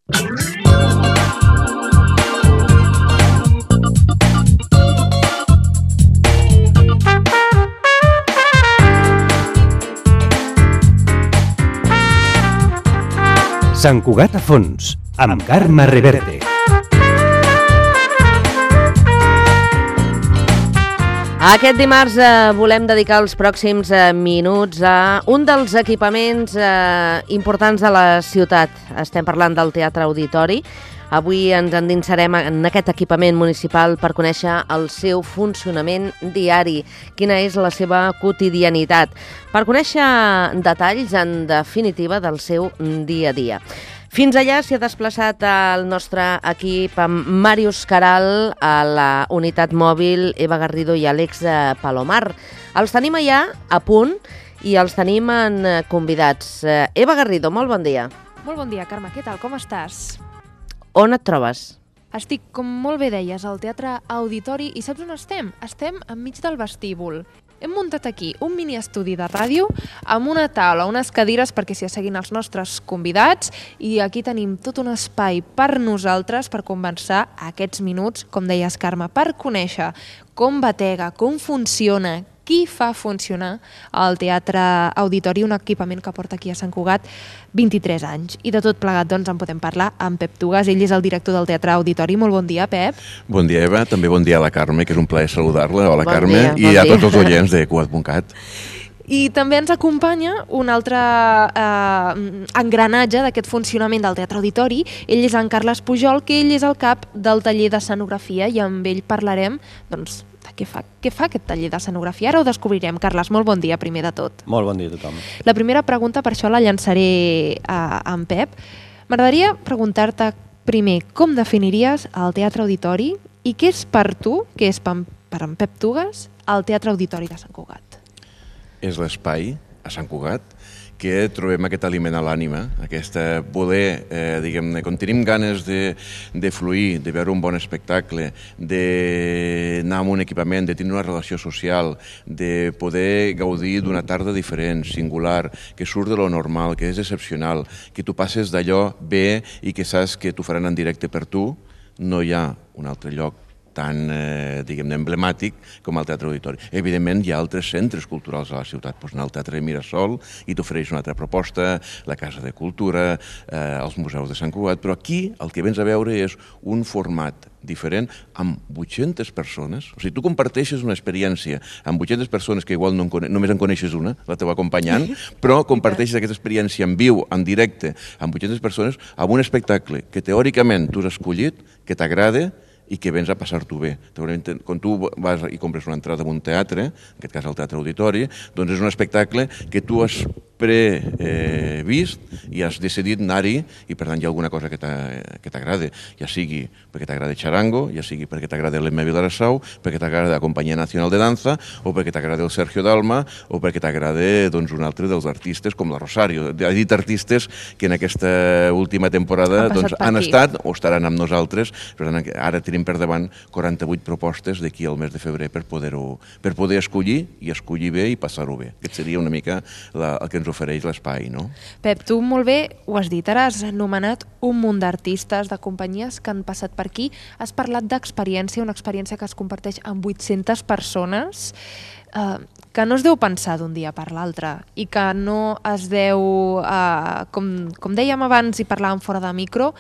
Sant Cugat a fons, amb Carme Reverte. Aquest dimarts volem dedicar els pròxims minuts a un dels equipaments importants de la ciutat. Estem parlant del Teatre Auditori. Avui ens endinsarem en aquest equipament municipal per conèixer el seu funcionament diari, quina és la seva quotidianitat, per conèixer detalls, en definitiva, del seu dia a dia. Fins allà s'hi ha desplaçat el nostre equip amb Màrius Caral, a la unitat mòbil, Eva Garrido i Àlex Palomar. Els tenim allà a punt i els tenim en convidats. Eva Garrido, molt bon dia. Molt bon dia, Carme. Què tal? Com estàs? On et trobes? Estic, com molt bé deies, al Teatre Auditori i saps on estem? Estem enmig del vestíbul. Hem muntat aquí un mini estudi de ràdio amb una taula, unes cadires perquè s'hi asseguin els nostres convidats i aquí tenim tot un espai per nosaltres per conversar aquests minuts, com deies, Carme, per conèixer com batega, com funciona, qui fa funcionar el Teatre Auditori, un equipament que porta aquí a Sant Cugat 23 anys. I de tot plegat doncs en podem parlar amb Pep Tugas, ell és el director del Teatre Auditori. Molt bon dia, Pep. Bon dia, Eva. També bon dia a la Carme, que és un plaer saludar-la. Hola, bon Carme. Dia, i a tots els oients de Cugat.cat. I també ens acompanya un altre engranatge d'aquest funcionament del Teatre Auditori. Ell és en Carles Pujol, que ell és el cap del taller d'escenografia i amb ell parlarem doncs, de què fa aquest taller d'escenografia. Ara ho descobrirem. Carles, molt bon dia, primer de tot. Molt bon dia a tothom. La primera pregunta, per això la llançaré a en Pep. M'agradaria preguntar-te primer com definiries el Teatre Auditori i què és per tu, què és per en Pep Tugas, el Teatre Auditori de Sant Cugat. És l'espai a Sant Cugat que trobem aquest aliment a l'ànima, aquesta voler, diguem-ne, quan tenim ganes de fluir, de veure un bon espectacle, d'anar amb un equipament, de tenir una relació social, de poder gaudir d'una tarda diferent, singular, que surt de lo normal, que és excepcional, que tu passes d'allò bé i que saps que t'ho faran en directe per tu, no hi ha un altre lloc tan, diguem-ne, emblemàtic com el Teatre Auditori. Evidentment, hi ha altres centres culturals a la ciutat. Pots anar al Teatre Mirasol i t'ofereix una altra proposta, la Casa de Cultura, els museus de Sant Cugat, però aquí el que vens a veure és un format diferent amb 800 persones. O sigui, tu comparteixes una experiència amb 800 persones que igual només en coneixes una, la teva acompanyant, però comparteixes aquesta experiència en viu, en directe, amb 800 persones, amb un espectacle que teòricament tu has escollit, que t'agrada i que vens a passar-t'ho bé. Quan tu vas i compres una entrada en un teatre, en aquest cas el Teatre Auditori, doncs és un espectacle que tu has previst i has decidit anar-hi i per tant hi ha alguna cosa que t'agrada, ja sigui perquè t'agrada Charango, ja sigui perquè t'agrada l'Emma Vilarassau, perquè t'agrada la Companyia Nacional de Danza o perquè t'agrada el Sergio Dalma o perquè t'agrada doncs, un altre dels artistes com la Rosario. Ha dit artistes que en aquesta última temporada han estat o estaran amb nosaltres, per tant ara tenim per davant 48 propostes d'aquí al mes de febrer per poder escollir i escollir bé i passar-ho bé. Aquest seria una mica el que ens ofereix l'espai, no? Pep, tu molt bé ho has dit, ara has anomenat un munt d'artistes, de companyies que han passat per aquí, has parlat d'experiència, una experiència que es comparteix amb 800 persones, que no es deu pensar d'un dia per l'altre i que no es deu, com dèiem abans i parlàvem fora de micro,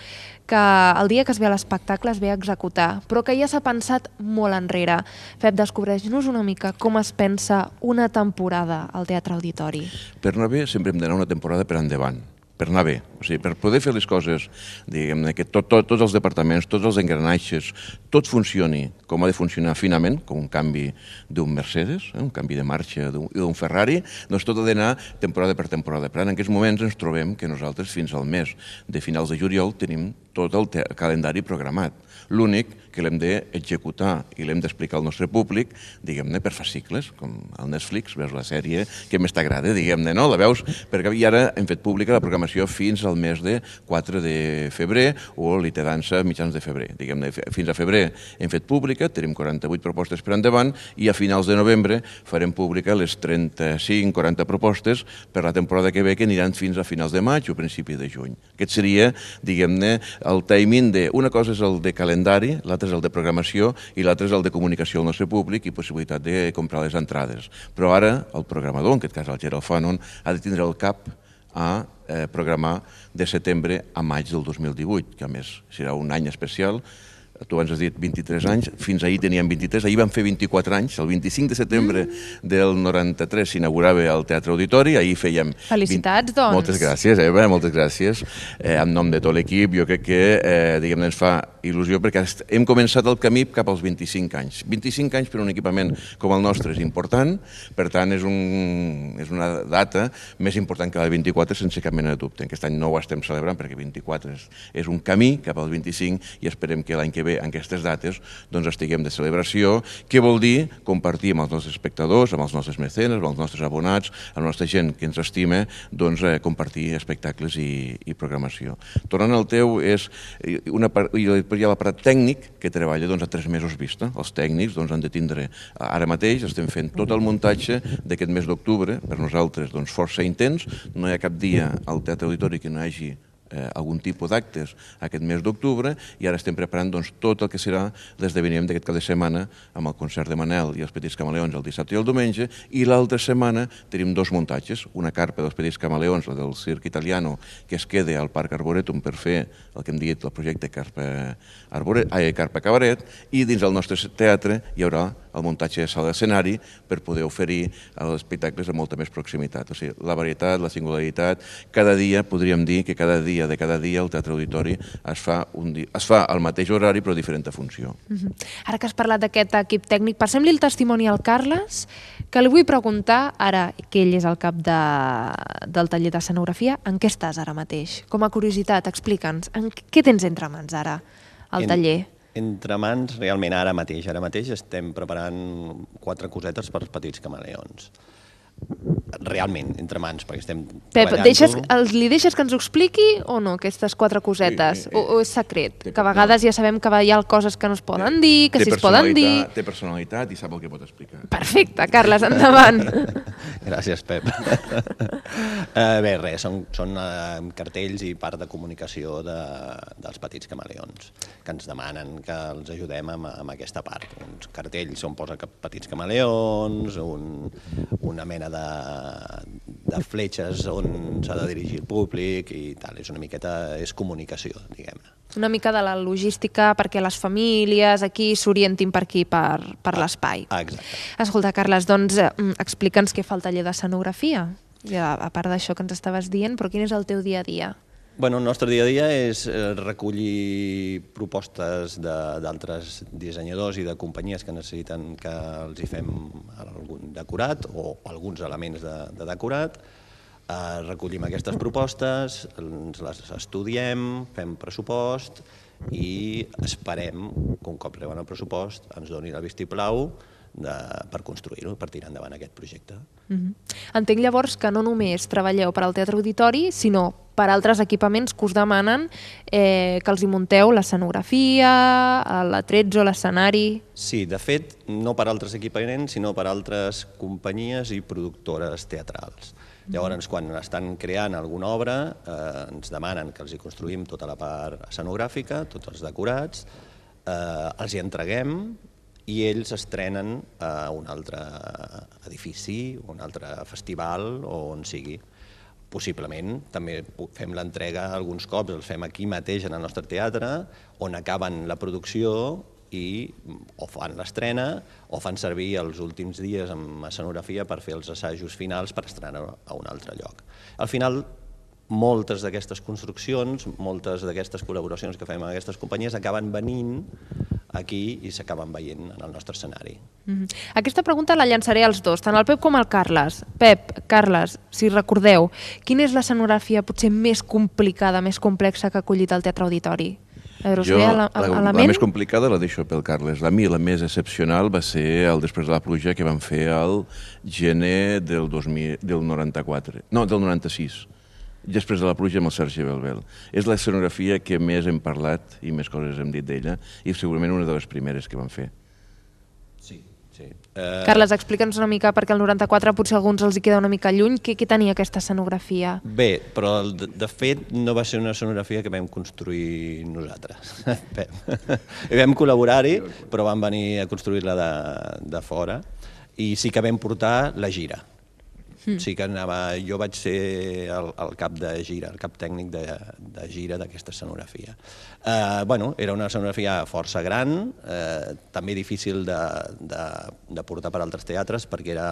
que el dia que es ve a l'espectacle es ve a executar, però que ja s'ha pensat molt enrere. Pep, descobreix-nos una mica com es pensa una temporada al Teatre Auditori. Per anar bé sempre hem d'anar una temporada per endavant, per anar bé. O sigui, per poder fer les coses, diguem-ne, que tots els departaments, tots els engranatges, tot funcioni com ha de funcionar finament, com un canvi d'un Mercedes, un canvi de marxa d'un Ferrari, doncs tot ha d'anar temporada per temporada. Per tant, en aquests moments ens trobem que nosaltres fins al mes de finals de juliol tenim tot el calendari programat. L'únic que l'hem d'executar i l'hem d'explicar al nostre públic, diguem-ne, per fascicles, com al Netflix, veus la sèrie que més t'agrada, diguem-ne, no? La veus, perquè ara hem fet pública la programació fins al mes de 4 de febrer o l'IT Dansa mitjans de febrer. Diguem-ne, fins a febrer hem fet pública, tenim 48 propostes per endavant i a finals de novembre farem pública les 35-40 propostes per la temporada que ve, que aniran fins a finals de maig o principi de juny. Aquest seria, diguem-ne, el timing de... Una cosa és el de calendari, l'altre és el de programació i l'altre és el de comunicació al nostre públic i possibilitat de comprar les entrades. Però ara el programador, en aquest cas el Gerald Fanon, ha de tindre el cap a programar de setembre a maig del 2018, que a més serà un any especial. Tu abans has dit 23 anys, fins ahir teníem 23, ahir vam fer 24 anys, el 25 de setembre del 93 s'inaugurava el Teatre Auditori, ahir fèiem... Felicitats, doncs! Moltes gràcies, Eva, moltes gràcies. En nom de tot l'equip, jo crec que diguem-ne ens fa il·lusió perquè hem començat el camí cap als 25 anys. 25 anys per un equipament com el nostre és important, per tant és una data més important que la de 24 sense cap mena de dubte. Aquest any no ho estem celebrant perquè 24 és un camí cap als 25 i esperem que l'any que ve en aquestes dates doncs estiguem de celebració, que vol dir compartir amb els nostres espectadors, amb els nostres mecenes, amb els nostres abonats, amb la nostra gent que ens estima, doncs compartir espectacles i programació. Tornant al teu, hi ha l'aparat tècnic que treballa a 3 mesos vista. Els tècnics han de tindre, ara mateix estem fent tot el muntatge d'aquest mes d'octubre, per nosaltres força intens, no hi ha cap dia al Teatre Auditori que no hi hagi algun tipus d'actes aquest mes d'octubre i ara estem preparant tot el que serà l'esdeveniment d'aquest cap de setmana amb el concert de Manel i els Petits Camaleons el dissabte i el diumenge i l'altra setmana tenim 2 muntatges, una carpa dels Petits Camaleons, la del Circ Italiano, que es queda al Parc Arboretum per fer el que hem dit el projecte Carpa Cabaret i dins del nostre teatre hi haurà el muntatge de sala d'escenari per poder oferir els espectacles amb molta més proximitat. O sigui, la varietat, la singularitat, cada dia, podríem dir que cada dia el Teatre Auditori es fa al mateix horari però diferent funció. Ara que has parlat d'aquest equip tècnic, passem-li el testimoni al Carles, que li vull preguntar, ara que ell és el cap del taller d'escenografia, en què estàs ara mateix? Com a curiositat, explica'ns, què tens entre mans ara, al taller? Entre mans, realment, ara mateix estem preparant 4 cosetes per als Petits Camaleons. Realment, entre mans, perquè estem treballant-ho. Pep, li deixes que ens ho expliqui o no, aquestes 4 cosetes? O és secret? Que a vegades ja sabem que hi ha coses que no es poden dir, que si es poden dir... Té personalitat i sap el que pot explicar. Perfecte, Carles, endavant. Gràcies, Pep. Bé, res, són cartells i part de comunicació dels Petits Camaleons, que ens demanen que els ajudem amb aquesta part. Uns cartells on posa Petits Camaleons, una mena de fletxes on s'ha de dirigir el públic i tal, és comunicació, diguem-ne. Una mica de la logística perquè les famílies aquí s'orientin per aquí, per l'espai. Exacte. Escolta, Carles, doncs explica'ns què fa el taller d'escenografia. A part d'això que ens estaves dient, però quin és el teu dia a dia? El nostre dia a dia és recollir propostes d'altres dissenyadors i de companyies que necessiten que els hi fem algun decorat o alguns elements de decorat. Recollim aquestes propostes, ens les estudiem, fem pressupost i esperem que un cop reben el pressupost ens donin el vistiplau per construir-ho, per tirar endavant aquest projecte. Entenc llavors que no només treballeu per al Teatre Auditori, sinó per altres equipaments que us demanen que els hi munteu l'escenografia, l'atrezzo, l'escenari... Sí, de fet, no per altres equipaments, sinó per altres companyies i productores teatrals. Llavors, quan estan creant alguna obra, ens demanen que els hi construïm tota la part escenogràfica, tots els decorats, els hi entreguem i ells estrenen a un altre edifici, un altre festival o on sigui. Possiblement també fem l'entrega alguns cops, els fem aquí mateix en el nostre teatre, on acaben la producció i o fan l'estrena o fan servir els últims dies amb escenografia per fer els assajos finals per estrenar a un altre lloc. Al final, moltes d'aquestes construccions, moltes d'aquestes col·laboracions que fem amb aquestes companyies acaben venint aquí i s'acaben veient en el nostre escenari. Aquesta pregunta la llançaré als dos, tant al Pep com al Carles. Pep, Carles, si recordeu, quina és l'escenografia potser més complicada, més complexa que ha acollit el Teatre Auditori? La més complicada la deixo pel Carles. A mi la més excepcional va ser el Després de la pluja que vam fer al gener del 96. després de la pluja amb el Sergi Belbel. És l'escenografia que més hem parlat i més coses hem dit d'ella i segurament una de les primeres que vam fer. Sí. Carles, explica'ns una mica, perquè el 94 potser a alguns els hi queda una mica lluny, què tenia aquesta escenografia? Bé, però de fet no va ser una escenografia que vam construir nosaltres. Vam col·laborar-hi, però vam venir a construir-la de fora i sí que vam portar la gira. Sí que jo vaig ser el cap de gira, el cap tècnic de gira d'aquesta escenografia. Era una escenografia força gran, també difícil de portar per altres teatres perquè era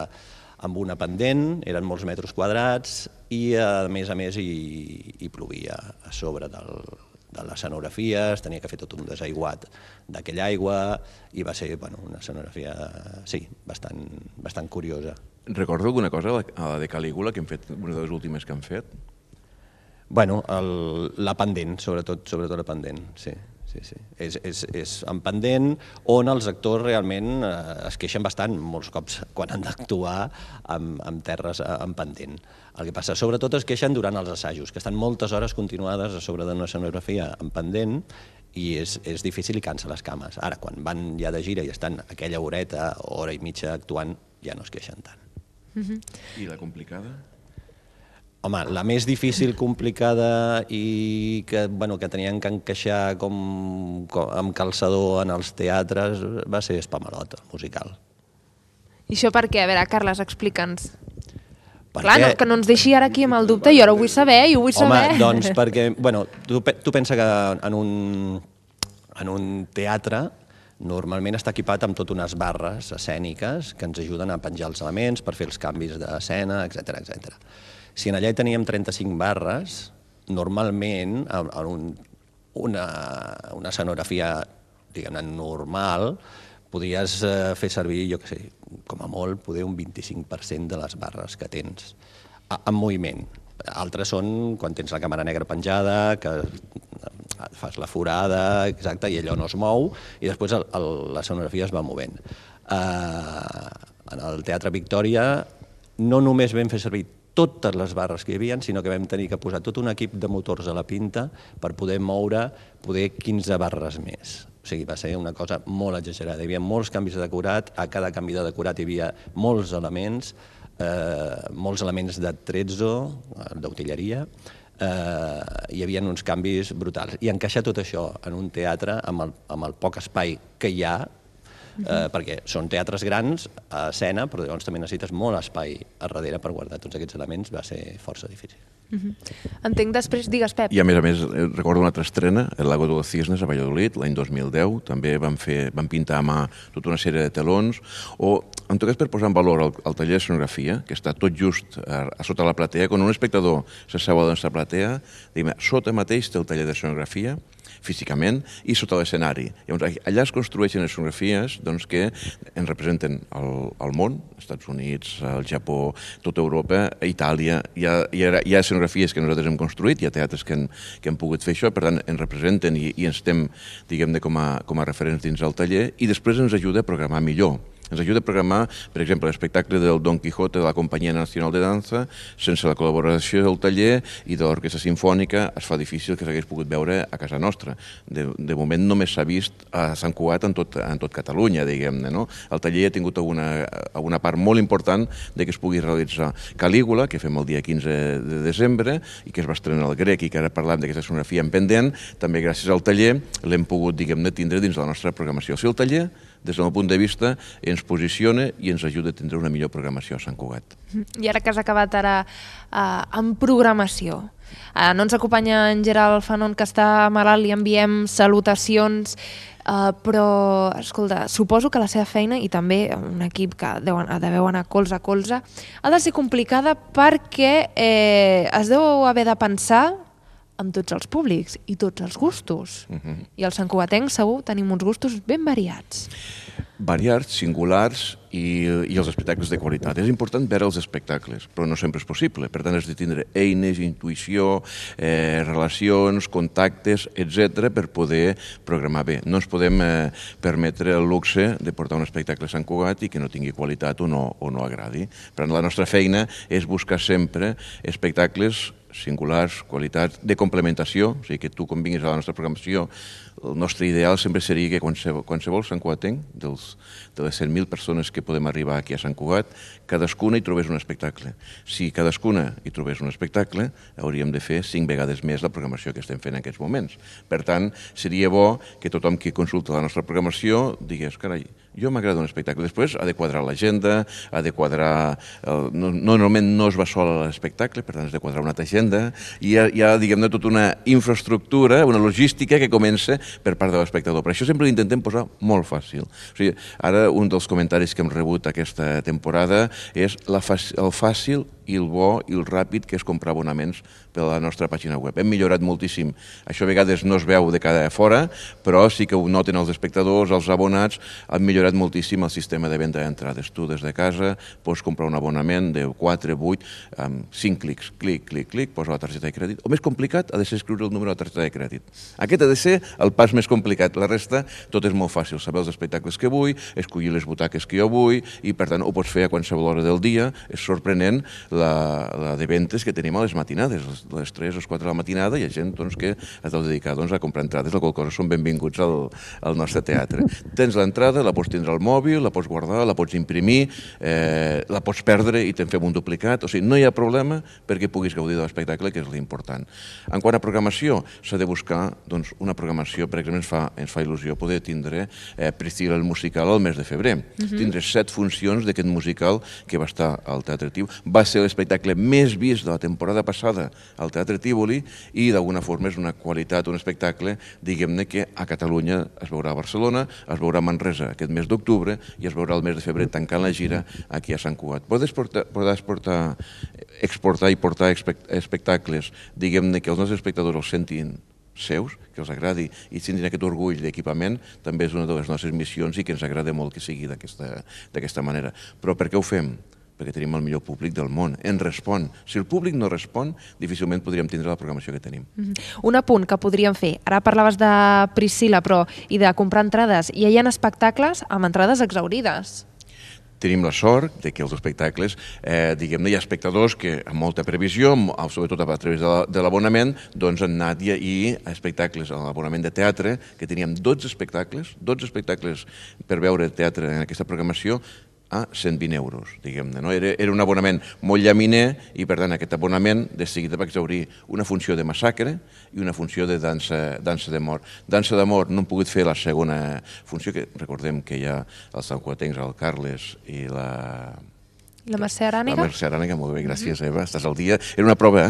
amb una pendent, eren molts metres quadrats i a més hi plovia a sobre de l'escenografia, es tenia que fer tot un desaiguat d'aquella aigua i va ser una escenografia, sí, bastant curiosa. Recordo alguna cosa a la de Calígula, que hem fet, una de les últimes que han fet? La pendent, sobretot la pendent, sí. És en pendent on els actors realment es queixen bastant molts cops quan han d'actuar amb terres en pendent. El que passa, sobretot es queixen durant els assajos, que estan moltes hores continuades a sobre d'una escenografia en pendent i és difícil i cansa les cames. Ara, quan van ja de gira i estan aquella horeta o hora i mitja actuant, ja no es queixen tant. I la complicada? Home, la més difícil, complicada i que tenien que encaixar com amb calçador en els teatres va ser Spamalot, el musical. I això per què? A veure, Carles, explica'ns. Clar, que no ens deixi ara aquí amb el dubte, jo ara ho vull saber, Home, doncs perquè, tu pensa que en un teatre normalment està equipat amb tot unes barres escèniques que ens ajuden a penjar els elements per fer els canvis d'escena, etc. Si en allà hi teníem 35 barres, normalment en una escenografia, diguem-ne, normal, podries fer servir, jo què sé, com a molt, poder un 25% de les barres que tens en moviment. Altres són quan tens la càmera negra penjada, que fas la forada, exacte, i allò no es mou, i després l'escenografia es va movent. En el Teatre Victòria no només vam fer servir totes les barres que hi havia, sinó que vam tenir que posar tot un equip de motors a la pinta per poder moure 15 barres més. O sigui, va ser una cosa molt exagerada. Hi havia molts canvis de decorat, a cada canvi de decorat hi havia molts elements d'atrezzo, d'utilleria, hi havia uns canvis brutals. I encaixar tot això en un teatre amb el poc espai que hi ha, perquè són teatres grans a escena, però llavors també necessites molt espai a darrere per guardar tots aquests elements, va ser força difícil. Entenc després, digues, Pep. I a més, recordo una altra estrena, El Lago de los Cisnes, a Valladolid, l'any 2010, també vam pintar a mà tota una sèrie de telons, o en tot cas per posar en valor el taller d'escenografia, que està tot just a sota la platea, quan un espectador s'asseu a la nostra platea, diguem, sota mateix té el taller d'escenografia, físicament, i sota l'escenari. Llavors, allà es construeixen escenografies que ens representen el món, els Estats Units, el Japó, tota Europa, Itàlia. Hi ha escenografies que nosaltres hem construït, hi ha teatres que han pogut fer això, per tant, ens representen i ens estem, diguem-ne, com a referents dins del taller, i després ens ajuda a programar millor. Ens ajuda a programar, per exemple, l'espectacle del Don Quijote de la Companyia Nacional de Danza. Sense la col·laboració del taller i de l'Orquestra Simfònica es fa difícil que s'hagués pogut veure a casa nostra. De moment només s'ha vist a Sant Cugat en tot Catalunya, diguem-ne. El taller ha tingut alguna part molt important que es pugui realitzar. Calígula, que fem el dia 15 de desembre i que es va estrenar al Grec i que ara parlam d'aquesta escenografia en pendent, també gràcies al taller l'hem pogut, diguem-ne, tindre dins la nostra programació. O sigui, el taller, des del meu punt de vista, ens posiciona i ens ajuda a tindre una millor programació a Sant Cugat. I ara que has acabat amb programació, no ens acompanya en Gerald Fanon, que està malalt, li enviem salutacions, però, escolta, suposo que la seva feina, i també un equip que deveu anar colze a colze, ha de ser complicada perquè es deu haver de pensar amb tots els públics i tots els gustos. I els santcugatencs segur tenim uns gustos ben variats. Variats, singulars i els espectacles de qualitat. És important veure els espectacles, però no sempre és possible. Per tant, has de tindre eines, intuïció, relacions, contactes, etc., per poder programar bé. No ens podem permetre el luxe de portar un espectacle a Sant Cugat i que no tingui qualitat o no agradi. Per tant, la nostra feina és buscar sempre espectacles singulars, qualitats, de complementació, o sigui que tu quan vinguis a la nostra programació, el nostre ideal sempre seria que qualsevol santcugatenc, de les 100.000 persones que podem arribar aquí a Sant Cugat, cadascuna hi trobés un espectacle. Si cadascuna hi trobés un espectacle, hauríem de fer 5 vegades més la programació que estem fent en aquests moments. Per tant, seria bo que tothom que consulta la nostra programació digués, carai, jo m'agrada un espectacle. Després ha de quadrar l'agenda, ha de quadrar... Normalment no es va sol a l'espectacle, per tant has de quadrar una altra agenda, i hi ha diguem-ne, tota una infraestructura, una logística que comença per part de l'espectador. Per això sempre l'intentem posar molt fàcil. O sigui, ara un dels comentaris que hem rebut aquesta temporada és el fàcil i el bo i el ràpid que és comprar abonaments per a la nostra pàgina web. Hem millorat moltíssim. Això a vegades no es veu de cada fora, però sí que ho noten els espectadors, els abonats, han millorat moltíssim el sistema de venda d'entrades. Tu des de casa pots comprar un abonament de 4, 8, amb 5 clics. Clic, posa la targeta de crèdit. El més complicat ha de ser escriure el número de la targeta de crèdit. Aquest ha de ser el pas més complicat. La resta, tot és molt fàcil. Saber els espectacles que vull, escollir les butaques que jo vull, i per tant ho pots fer a qualsevol hora del dia. És sorprenent la de ventes que tenim a les matinades, les 3 o 4 de la matinada, hi ha gent que es deu dedicar a comprar entrades, la qual cosa són benvinguts al nostre teatre. Tens l'entrada, la pots tindre al mòbil, la pots guardar, la pots imprimir, la pots perdre i te'n fem un duplicat, o sigui, no hi ha problema perquè puguis gaudir de l'espectacle, que és l'important. En quant a programació, s'ha de buscar una programació, per exemple, ens fa il·lusió poder tindre Priscilla el musical al mes de febrer. Tindre 7 funcions d'aquest musical que va estar al Teatre Tívoli. Va ser l'espectacle més vist de la temporada passada al Teatre Tívoli i d'alguna forma és una qualitat, un espectacle, diguem-ne, que a Catalunya es veurà a Barcelona, es veurà a Manresa aquest mes d'octubre i es veurà el mes de febrer tancant la gira aquí a Sant Cugat. Podràs exportar i portar espectacles, diguem-ne, que els nostres espectadors els sentin seus, que els agradi i tindrin aquest orgull d'equipament, també és una de les nostres missions i que ens agrada molt que sigui d'aquesta manera. Però per què ho fem? Perquè tenim el millor públic del món. Ens respon. Si el públic no respon, difícilment podríem tindre la programació que tenim. Un apunt que podríem fer. Ara parlaves de Priscilla, però i de comprar entrades. I hi ha espectacles amb entrades exaurides. Tenim la sort que els espectacles, diguem-ne, hi ha espectadors que amb molta previsió, sobretot a través de l'abonament, doncs han anat i espectacles, a l'abonament de teatre, que teníem 12 espectacles per veure teatre en aquesta programació, a 120 euros, diguem-ne. Era un abonament molt llaminer i, per tant, aquest abonament de seguida va exaurir una funció de massacre i una funció de dansa d'amor. Dansa d'amor no hem pogut fer la segona funció, que recordem que hi ha els santcugatencs, el Carles i la Mercè Arànega? La Mercè Arànega, molt bé, gràcies, Eva, estàs al dia. Era una prova,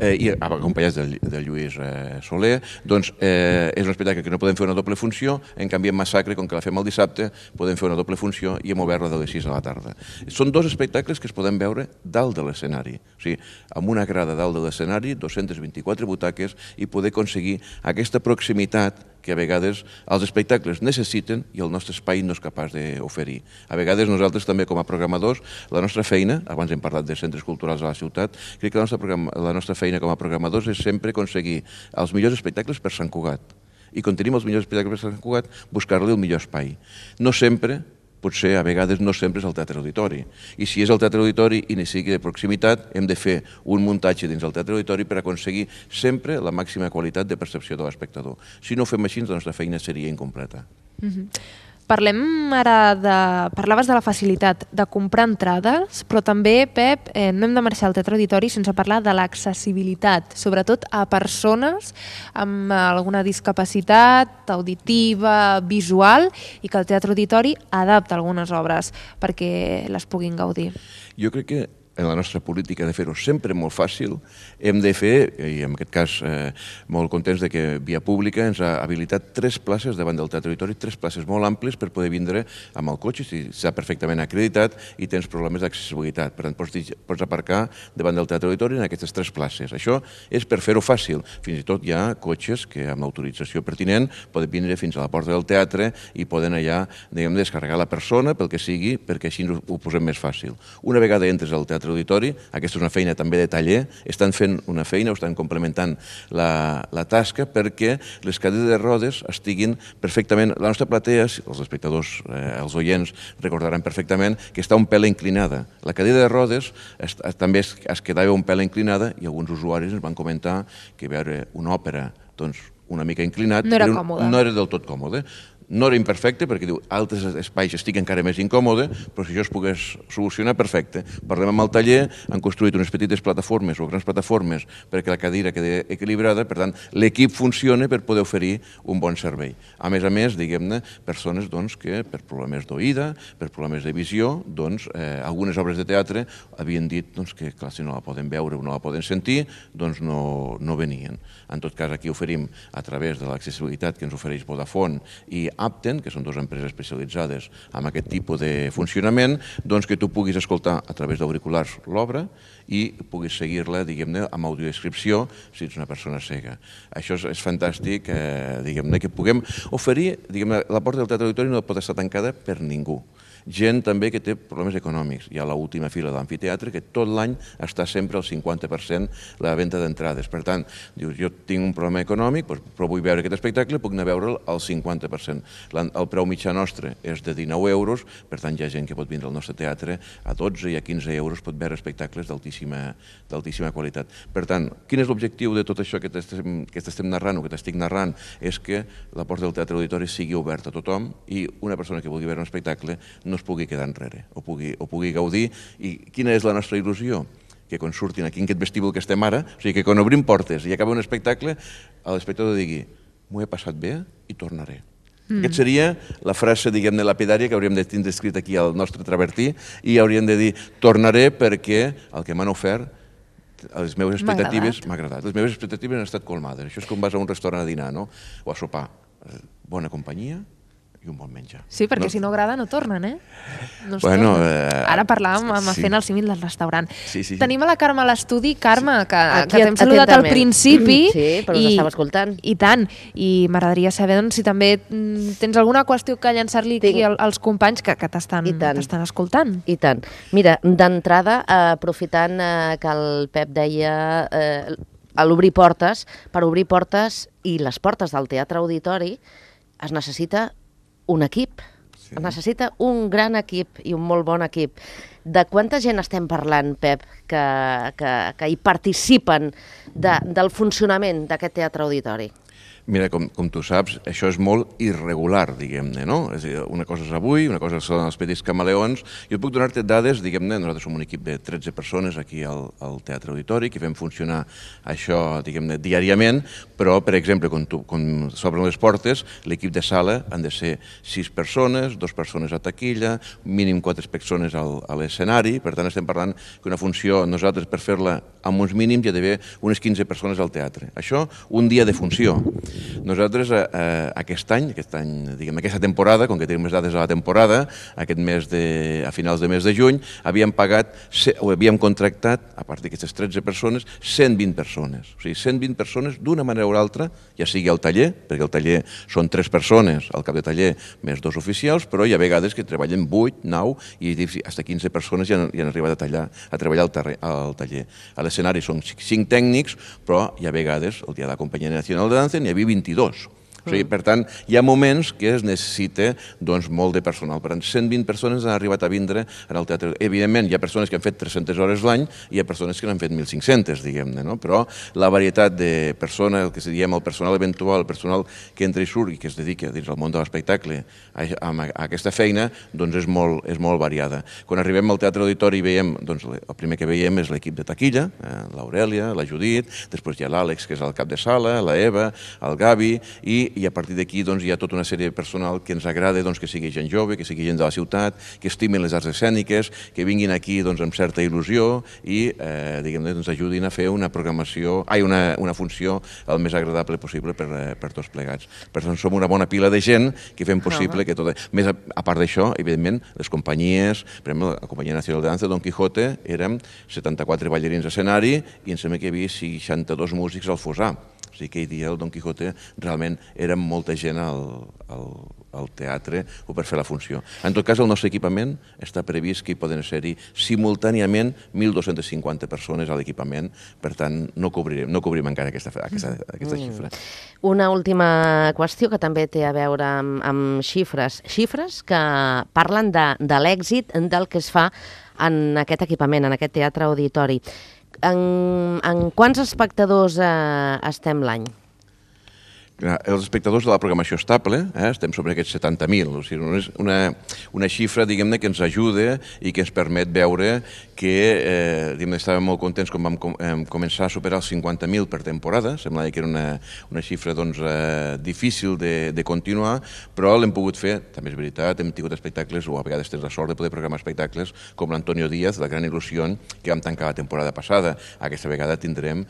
i acompanyats de Lluís Soler, doncs és un espectacle que no podem fer una doble funció, en canvi en Massacre, com que la fem el dissabte, podem fer una doble funció i hem obert-la de les 6 de la tarda. Són 2 espectacles que es poden veure dalt de l'escenari, o sigui, amb una grada dalt de l'escenari, 224 butaques, i poder aconseguir aquesta proximitat que a vegades els espectacles necessiten i el nostre espai no és capaç d'oferir. A vegades nosaltres també com a programadors, la nostra feina, abans hem parlat de centres culturals a la ciutat, crec que la nostra feina com a programadors és sempre aconseguir els millors espectacles per Sant Cugat. I quan tenim els millors espectacles per Sant Cugat, buscar-li el millor espai. No sempre, potser a vegades no sempre és el Teatre Auditori. I si és el Teatre Auditori i ni sigui de proximitat, hem de fer un muntatge dins del Teatre Auditori per aconseguir sempre la màxima qualitat de percepció de l'espectador. Si no ho fem així, la nostra feina seria incompleta. Parlem ara parlaves de la facilitat de comprar entrades, però també, Pep, no hem de marxar al Teatre Auditori sense parlar de l'accessibilitat, sobretot a persones amb alguna discapacitat auditiva, visual, i que el Teatre Auditori adapta algunes obres perquè les puguin gaudir. Jo crec que en la nostra política de fer-ho sempre molt fàcil, hem de fer, i en aquest cas molt contents de que Via Pública ens ha habilitat 3 places davant del Teatre Auditori, 3 places molt àmplies per poder vindre amb el cotxe, si està perfectament acreditat i tens problemes d'accessibilitat. Per tant, pots aparcar davant del Teatre Auditori en aquestes 3 places. Això és per fer-ho fàcil. Fins i tot hi ha cotxes que amb l'autorització pertinent poden vindre fins a la porta del teatre i poden allà, diguem, descarregar la persona pel que sigui, perquè així ho posem més fàcil. Una vegada entres al Teatre Teatre Auditori. Aquesta és una feina també de taller. Estan fent una feina, o estan complementant la tasca perquè les cadires de rodes estiguin perfectament... La nostra platea, els espectadors, els oients, recordaran perfectament que està un pèl inclinada. La cadira de rodes també es quedava un pèl inclinada i alguns usuaris ens van comentar que veure una òpera una mica inclinat no era còmode. No era del tot còmode. No era imperfecte, perquè diu, altres espais estic encara més incòmode, però si això es pogués solucionar, perfecte. Parlem amb el taller, han construït unes petites plataformes o grans plataformes perquè la cadira quedi equilibrada, per tant, l'equip funciona per poder oferir un bon servei. A més, diguem-ne, persones que per problemes d'oïda, per problemes de visió, algunes obres de teatre havien dit que, clar, si no la poden veure o no la poden sentir, no venien. En tot cas, aquí oferim, a través de l'accessibilitat que ens ofereix Vodafone i Apten, que són dues empreses especialitzades en aquest tipus de funcionament, que tu puguis escoltar a través d'auriculars l'obra i puguis seguir-la, diguem-ne, amb audiodescripció si ets una persona cega. Això és fantàstic, diguem-ne, que puguem oferir, diguem-ne, la porta del Teatre Auditori no pot estar tancada per ningú. Gent també que té problemes econòmics. Hi ha l'última fila de l'amfiteatre que tot l'any està sempre al 50% la venda d'entrades. Per tant, dius, jo tinc un problema econòmic, però vull veure aquest espectacle, puc anar a veure'l al 50%. El preu mitjà nostre és de 19 euros, per tant hi ha gent que pot vindre al nostre teatre a 12 i a 15 euros, pot veure espectacles d'altíssima qualitat. Per tant, quin és l'objectiu de tot això que t'estem narrant o que t'estic narrant? És que la porta del Teatre Auditori sigui oberta a tothom i una persona que vulgui veure un espectacle no es pugui quedar enrere, o pugui gaudir. I quina és la nostra il·lusió? Que quan surtin aquí en aquest vestíbul que estem ara, o sigui, que quan obrim portes i acaba un espectacle, l'espectador digui, m'ho he passat bé i tornaré. Aquesta seria la frase, diguem-ne, lapidària que hauríem de tindre escrit aquí al nostre travertí i hauríem de dir, tornaré perquè el que m'han ofert les meves expectatives m'ha agradat. Les meves expectatives han estat colmades. Això és com vas a un restaurant a dinar, no? O a sopar. Bona companyia i un bon menjar. Sí, perquè si no agrada no tornen, eh? No es Bueno, tornen. Ara parlàvem sí. fent el símil del restaurant. Sí. Tenim a la Carme a l'estudi. Carme, que t'hem Aquí saludat al atentament. principi. Sí, però us estava escoltant. I tant. I m'agradaria saber si també tens alguna qüestió que llançar-li aquí als companys que t'estan escoltant. I tant. Mira, d'entrada, aprofitant que el Pep deia a l'obrir portes, per obrir portes i les portes del Teatre Auditori es necessita un equip. Es necessita un gran equip i un molt bon equip. De quanta gent estem parlant, Pep, que hi participen del funcionament d'aquest Teatre Auditori? Mira, com tu saps, això és molt irregular, diguem-ne, no? És a dir, una cosa és avui, una cosa són els petits camaleons. Jo et puc donar-te dades, diguem-ne, nosaltres som un equip de 13 persones aquí al Teatre Auditori, que fem funcionar això, diguem-ne, diàriament, però, per exemple, quan s'obren les portes, l'equip de sala han de ser 6 persones, 2 persones a taquilla, mínim 4 persones a l'escenari, per tant estem parlant que una funció, nosaltres per fer-la amb uns mínims hi ha d'haver unes 15 persones al teatre. Això, un dia de funció. Nosaltres aquest any, diguem, aquesta temporada, com que tenim les dades de la temporada, a finals de mes de juny, havíem contractat, a part d'aquestes 13 persones, 120 persones. O sigui, 120 persones d'una manera o altra, ja sigui al taller, perquè al taller són 3 persones, al cap de taller més 2 oficials, però hi ha vegades que treballen 8, 9 i fins a 15 persones ja han arribat a treballar al taller. A l'escenari són 5 tècnics, però hi ha vegades, el dia de la Companyia Nacional de Danza, n'hi havia 22. O sigui, per tant, hi ha moments que es necessita molt de personal. Per tant, 120 persones han arribat a vindre al teatre. Evidentment, hi ha persones que han fet 300 hores l'any i hi ha persones que n'han fet 1.500, diguem-ne, no? Però la varietat de persones, el que se diem el personal eventual, el personal que entra i surt i que es dedica dins el món de l'espectacle a aquesta feina, doncs és molt variada. Quan arribem al Teatre Auditori veiem, doncs el primer que veiem és l'equip de taquilla, l'Aurèlia, la Judit, després hi ha l'Àlex, que és el cap de sala, la Eva, el Gavi, i a partir d'aquí hi ha tota una sèrie de personal que ens agrada que sigui gent jove, que sigui gent de la ciutat, que estimin les arts escèniques, que vinguin aquí amb certa il·lusió i ajudin a fer una funció el més agradable possible per tots plegats. Per tant, som una bona pila de gent que fem possible que tot... Més a part d'això, evidentment, les companyies, per exemple, la Companyia Nacional de Danza, Don Quijote, érem 74 ballarins a escenari i em sembla que hi havia 62 músics al Fossar. O sigui, aquell dia el Don Quijote realment era molta gent al al teatre o per fer la funció. En tot cas, el nostre equipament està previst que hi poden ser-hi simultàniament 1.250 persones a l'equipament, per tant, no cobrim encara aquesta xifra. Una última qüestió que també té a veure amb xifres. Xifres que parlen de l'èxit del que es fa en aquest equipament, en aquest teatre auditori. En quants espectadors estem l'any? Els espectadors de la programació estable, estem sobre aquests 70.000, o sigui, una xifra, diguem-ne, que ens ajuda i que ens permet veure que estàvem molt contents quan vam començar a superar els 50.000 per temporada, semblava que era una xifra difícil de continuar, però l'hem pogut fer, també és veritat, hem tingut espectacles, o a vegades tens la sort de poder programar espectacles com l'Antonio Díaz, la Gran Il·lusió, que vam tancar la temporada passada. Aquesta vegada tindrem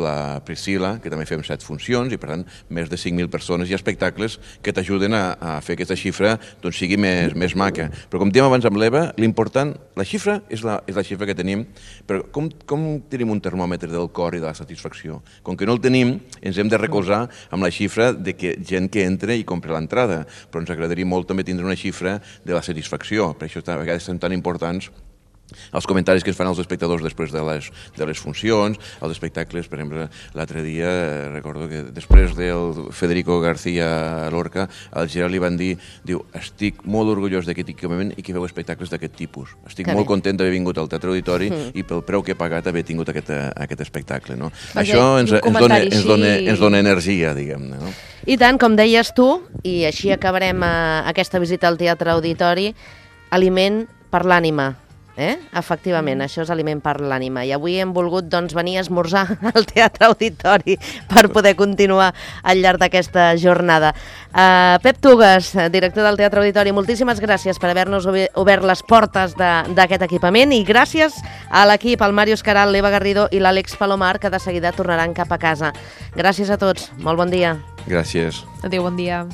la Priscila, que també fem 7 funcions, i per tant més de 5.000 persones i espectacles que t'ajuden a fer aquesta xifra sigui més maca. Però com dèiem abans amb l'Eva, l'important, la xifra és la xifra que tenim, però com tenim un termòmetre del cor i de la satisfacció? Com que no el tenim, ens hem de recolzar amb la xifra de gent que entra i compra l'entrada, però ens agradaria molt també tindre una xifra de la satisfacció, per això a vegades són tan importants els comentaris que es fan als espectadors després de les funcions, els espectacles, per exemple, l'altre dia recordo que després del Federico García Lorca, al Gerard li van dir, estic molt orgullós d'aquest equipament i que veu espectacles d'aquest tipus. Estic molt content d'haver vingut al Teatre Auditori i pel preu que he pagat haver tingut aquest espectacle. Això ens dona energia, diguem-ne. I tant, com deies tu, i així acabarem aquesta visita al Teatre Auditori, aliment per l'ànima. Efectivament, això és aliment per l'ànima. I avui hem volgut venir a esmorzar al Teatre Auditori per poder continuar al llarg d'aquesta jornada. Pep Tugues, director del Teatre Auditori, moltíssimes gràcies per haver-nos obert les portes d'aquest equipament i gràcies a l'equip, al Màrius Caral, l'Eva Garrido i l'Àlex Palomar, que de seguida tornaran cap a casa. Gràcies a tots, molt bon dia. Gràcies. Adéu, bon dia.